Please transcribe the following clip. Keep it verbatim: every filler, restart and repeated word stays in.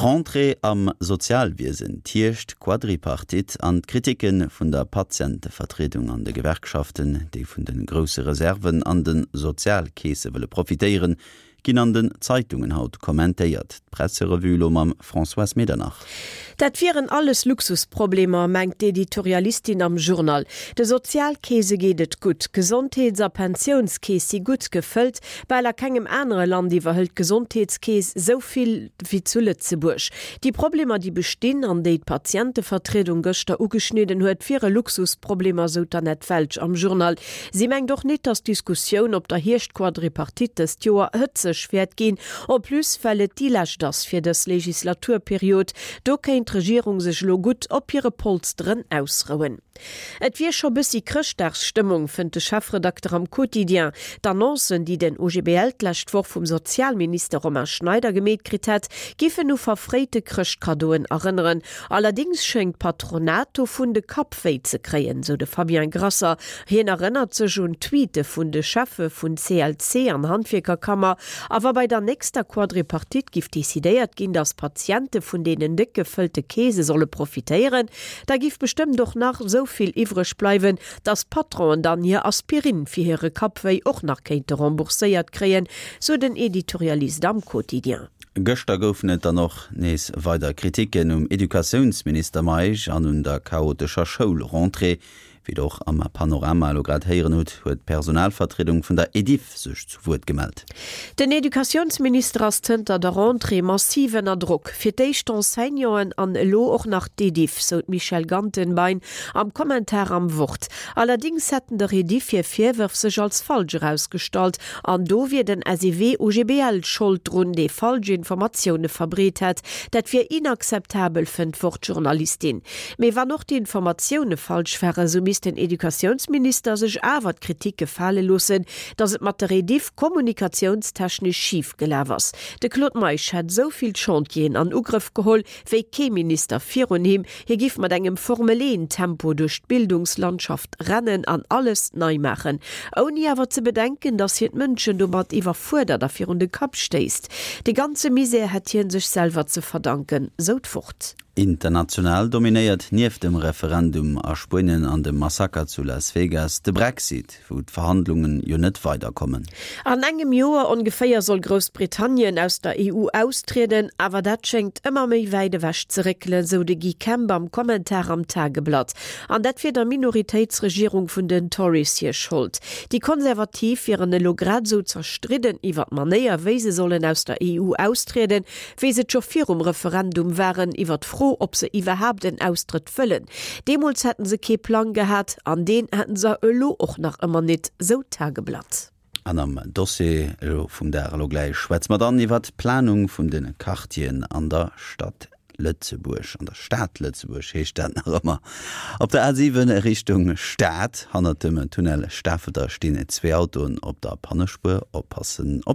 D'Rentrée am Sozialwiesen, d'Hierscht-Quadripartite an d'Kriticke vun der Patientevertriedung an de Gewerkschaften, déi vun de grousse Reserven an de Sozialkeese wëlle profitéieren, ginn an den Zeitungen haut kommentéiert. D'Presserevue elo mam Françoise Medernach. Dat wieren alles Luxusproblemer, mengt d'Editorialistin am Journal. De Sozialkeese geet et gutt, Gesondheets a Pensiounskeess si gutt gefëllt, bal a kengem anere Land iwwerhëlt d'Gesondheetskeess esou vill wéi zu Lëtzebuerg. Déi Problemer, déi bestinn an déi d'Patientevertriedung gëschter ugeschnidden huet, wiere Luxusproblemer, sou d'Annette Welsch am Journal. Si mengt och net, datt d'Diskussioun op der Hierschtquadripartite dëst Joer hëtzeg wäert ginn, en plus well et déi lescht ass fir dës Legislaturperiod. Do kéint d'Regierung sech elo gutt op hire Polsteren ausrouen. Et wier scho bëssi Chrëschtdagsstëmmung, fënnt de Chefredakter am Quotidien. D'Annoncen, déi den O G B L d'lescht Woch vum Sozialminister Romain Schneider gemeet kritt hätt, giffen u verfréite Chrëschtkaddoen erënneren. Allerdéngs schéngt d'Patronat dovun de Kapp wéi ze kréien, sou de Fabien Grasser. Hien erënnert sech un Tweete vun de Cheffe vun C L C an Handwierkerkammer. A wa bei der nächster Quadripartite giff decidéiert ginn, datt Patiente vun deenen déck gefëllte Keese solle profitéieren, da giff bestëmmt och nach sou vill iwwreg bleiwen, datt d'Patronen dann hir Aspirin fir hire Kappwéi och nach kéinte rembourséiert kréien, sou den Editorialist am Quotidien. Gëschter goufen et dann och nees weider Kriticken um Educatiounsminister Meisch an un der chaotescher Schoulrentrée. Wéi der och am Panorama elo grad héieren hutt, huet d'Personalvertriedung vun der Ediff sech zu Wuert gemellt. Den Educatiounsminister ass zënter der Rentrée massiv ënner Drock. Fir d'éischt d'Enseignanten an elo och nach d'Ediff, sou d'Michèle Gantenbein am Kommentar am Wort. Allerdéngs hätten der Ediff hir Virwërf sech als falsch erausgestallt an do wier den S E W O G B L Schold drun, dee falsch Informatioune verbreet hätt. Dat wier inakzeptabel, fënnt d'Wort-Journalistin. Mee wann och d'Informatioune falsch waren, sou misst den Educatiounsminister sech awer d'Kritik gefale loossen, datt et mat der Ediff kommunikatiounstechnesch schif gelaf ass. De Claude Meisch hätt sou vill Chantieren an Ugrëff geholl wéi kee Minister virun him, hie giff mat engem Formel-een-Tempo duerch d'Bildungslandschaft rennen an alles nei maachen. Ouni awer ze bedenken, datt hien d'Mënschen domat iwwerfuerdert a virun de Kapp stéisst. De ganze Misär hätt hien sech selwer ze verdanken, sou d'Wort. International dominéiert nieft dem Referendum a Spuenien an dem Massaker zu Las Vegas de Brexit, wou d'Verhandlungen jo net weiderkommen. An engem Joer ongeféier soll Groussbritannien aus der E U austrieden, awer dat schéngt ëmmer méi wäit ewech ze réckelen, sou de Guy Kemp am Kommentar am Tageblatt. An dat wier der Minoritéitsregierung vun den Tories hir Schold. Déi Konservativ wieren elo grad sou zerstridden iwwer d'Manéier, wéi se sollen aus der E U austrieden, wéi se et scho virum Referendum waren iwwer d'Fro, ob se iwwerhaapt en Austrëtt wëllen. Deemools hätten se kee Plang gehat, an deen hätten se elo och nach ëmmer net, sou d'Tageblatt. An am Dossier elo vum Dag elo gläich schwätze mer dann iwwer d'Planung vun de Quartieren an der Stad Lëtzebuerg, an der Stad Lëtzebuerg heescht dat nach ëmmer. Op der A siwen Richtung Stad, hannert dem Tunnel Stafelter stinn zwee Autoen op der Pannespuer, oppassen op.